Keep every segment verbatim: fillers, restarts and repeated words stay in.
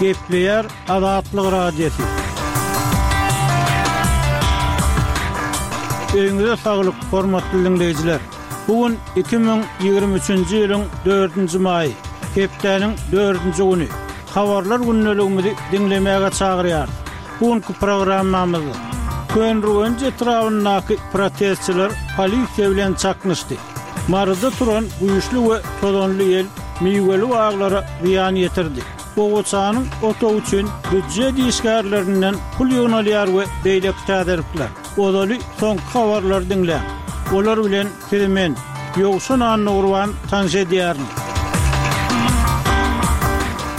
Gepleýär Azatlyk Radiosy. Öýüňize saglyk, hormatly diňleýjiler. Bu gün iki müň ýigrimi üçünji ýylyň dördünji maýy, hepdäniň dördünji güni. Habarlar gündeligimizi diňlemäge çagyrýarys. Bu günki programmamyzda Köneürgenç etrabyndaky protestçiler polisiýa bilen çaknyşdy. Maryda turan güýçli we tozanly ýel miweli baglara zyýan ýetirdi. Gowaçanyň otagy üçin býujet işgärlerinden pul ýygnalýar we beýleki täzelikler. Ozaly soňky habarlary diňläň. Olar bilen sizi men, Ýowşan Annagurban tanyş edýärin.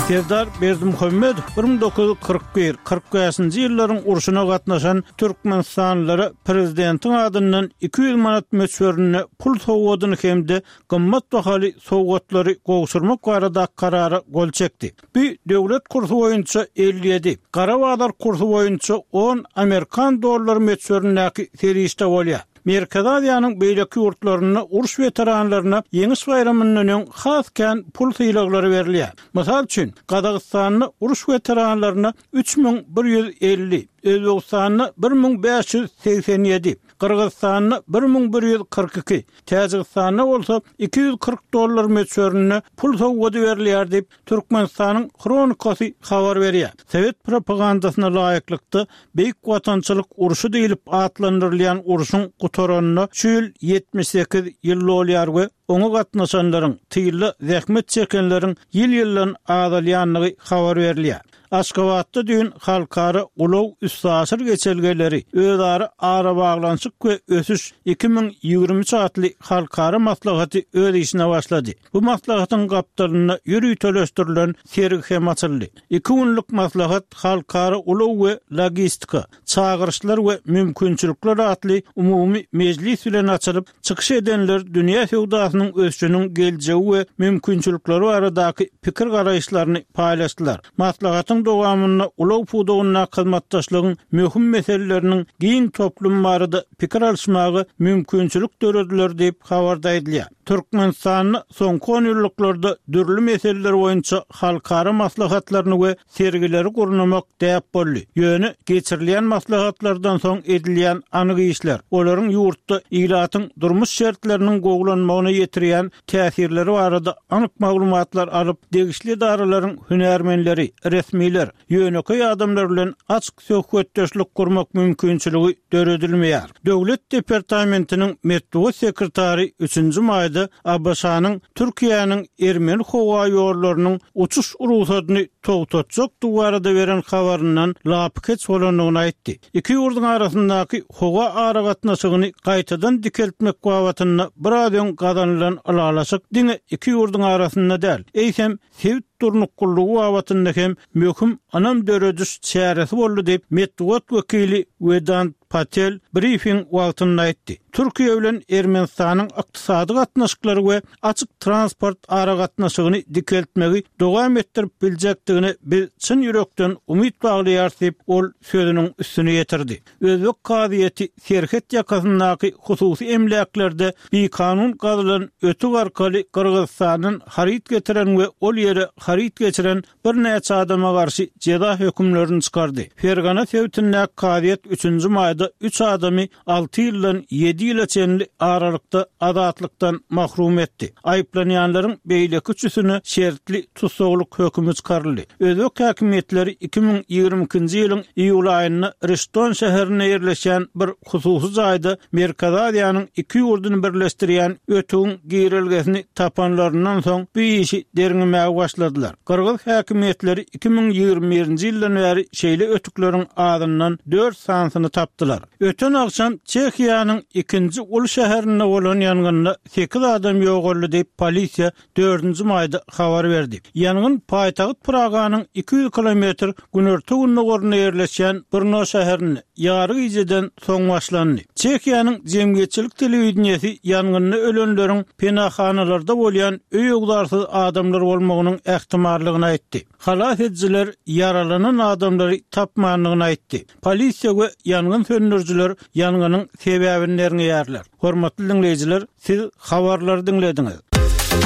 Serdar Berdimuhamedow bir müň dokuz ýüz kyrk bir, kyrk bäşinji ýyllaryň urşuna gatnaşan türkmenistanlylara prezidentiň adyndan iki ýüz manat möçberinde pul sowgadyny hem-de gymmat bahaly sowgatlary gowşurmak baradaky karara gol çekdi. Bu döwlet kursy boýunça elli ýedi, gara bazar kursy boýunça on amerikan dollary möçberindäki serişde bolýar. Merkezi Aziýanyň beýleki ýurtlarynda uruş weteranlaryna Ýeňiş baýramyndan öň has kän pul sylaglary berilýär. Mysal üçin, Gazagystanda uruş weteranlaryna üç müň bir ýüz elli, Özbegistanda bir müň bäş ýüz segsen ýedi, Gyrgyzystanda bir müň bir ýüz kyrk iki, Täjigistanda bolsa iki ýüz kyrk dollar möçberinde pul sowgady berilýär diýip, Türkmenistanyň Hronikasy habar berýär. Sowet propagandasyna laýyklykda, Beýik Watançylyk urşy diýlip atlandyrylýan urşuň gutaranyna şu ýyl ýetmiş sekiz ýyl dolýar we oňa gatnaşanlaryň, tylda zähmet çekenleriň ýyl-ýyldan azalýandygy habar berilýär. Aşgabatda düýn halkara ulag-üstaşyr geçelgeleri, özara arabaglanyşyk we ösüş iki müň ýigrimi üç atly halkara maslahaty öz işine başlady. Bu maslahatyň gapdalynda ýöriteleşdirilen sergi hem açyldy. Iki günlük maslahat Halkara ulag we logistika, çagyryşlar we mümkinçilikler atly umumy mejlis bilen açylyp, çykyş edenler dünýä söwdasynyň ösüşiniň geljegi we mümkinçilikleri baradaky pikir-garaýyşlaryny paýlaşdylar. Maslahatyň dowamynda ulag pudagyndaky hyzmatdaşlygyň möhüm meseleleriniň giň toplumy barada pikir alyşmaga mümkinçilik dörediler diýip, habarda aýdylýar. Türkmenistanda soňky onýyllyklarda dürli meseleler boýunça halkara maslahatlaryny we sergileri gurnamak däp boldy. Ýöne geçirilýän maslahatlardan soň edilýän anyk işler, olaryň ýurtda ilatyň durmuş şertleriniň gowulanmagyna ýetirýän täsirleri barada anyk maglumatlar alyp, degişli edaralaryň hünärmenleri, resmiler, ýönekeý adamlar bilen açyk söhbetdeşlik gurmak mümkinçiligi döredilmeýär. Döwlet departamentiniň metbugat sekretary üçünji maýda A B Ş-nyň Türkiýäniň ermeni howa ýollarynyň uçuş rugsadyny togtatjakdygy barada beren habaryndan lapykeç bolandygyny aýtdy. Iki ýurduň arasyndaky howa aragatnaşygyny gaýtadan dikeltmek babatynda biraz öň gazanylan ylalaşyk diňe iki ýurduň arasynda däl, eýsem sebit durnuklylygy babatynda hem möhüm ynam dörediş çäresi boldy diýip, metbugat wekili Wedant Patel brifing wagtynda aýtdy. Türkiýe bilen Ermenistanyň ykdysady gatnaşyklary we açyk transport aragatnaşygyny dikeltmegi dowam etdirip biljekdigine biz çyn ýürekden umyt baglaýarys diýip, ol sözüniň üstüni ýetirdi. Özbek kazyýeti serhet ýakasyndaky hususy emläklerde bikanun gazylan ötük arkaly Gyrgyzystandan haryt getiren we ol ýere haryt geçiren birnäçe adama garşy jeza hökümlerini çykardy. Fergana sebitindäki kazyýet üçünji maýda üç adamy alty ýyldan ýedi ýyla çenli aralykda azatlykdan mahrum etdi. Aýyplanýanlaryň beýleki üçüsine şertli tussaglyk hökümi çykaryldy. Özbek häkimiýetleri iki müň ýigrimi ikinji ýylyň iýul aýynda Rişton şäherinde ýerleşýän bir hususy jaýda Merkezi Aziýanyň iki ýurduny birleşdirýän ötügiň girelgesini tapanlaryndan soň bu işi derňemäge başladylar. Gyrgyz häkimiýetleri iki müň ýigrimi birinji ýyldan bäri şeýle ötükleriň azyndan dört sanysyny tapdylar. Öten agşam Çehiýanyň ikinji uly şäherinde bolan ýangynda sekiz adam ýogaldy diýip, polisiýa dördünji maýda habar berdi. Ýangyn paýtagt Praganyň iki ýüz kilometr günorta-gündogarynda ýerleşýän Brno şäherinde ýary gijeden soň başlandy. Çehiýanyň jemgyýetçilik telewideniýesi ýangynda ölenleriň penahanalarda bolýan öý-öwzarsyz adamlar bolmagynyň ähtimallygyny aýtdy. Halas edijiler ýaralanan adamlary tapmandygyny aýtdy. Polisiýa we ýangyn söndürijiler ýangynyň sebäbini derňeýärler. Hormatly diňleýjiler, siz habarlary diňlediňiz.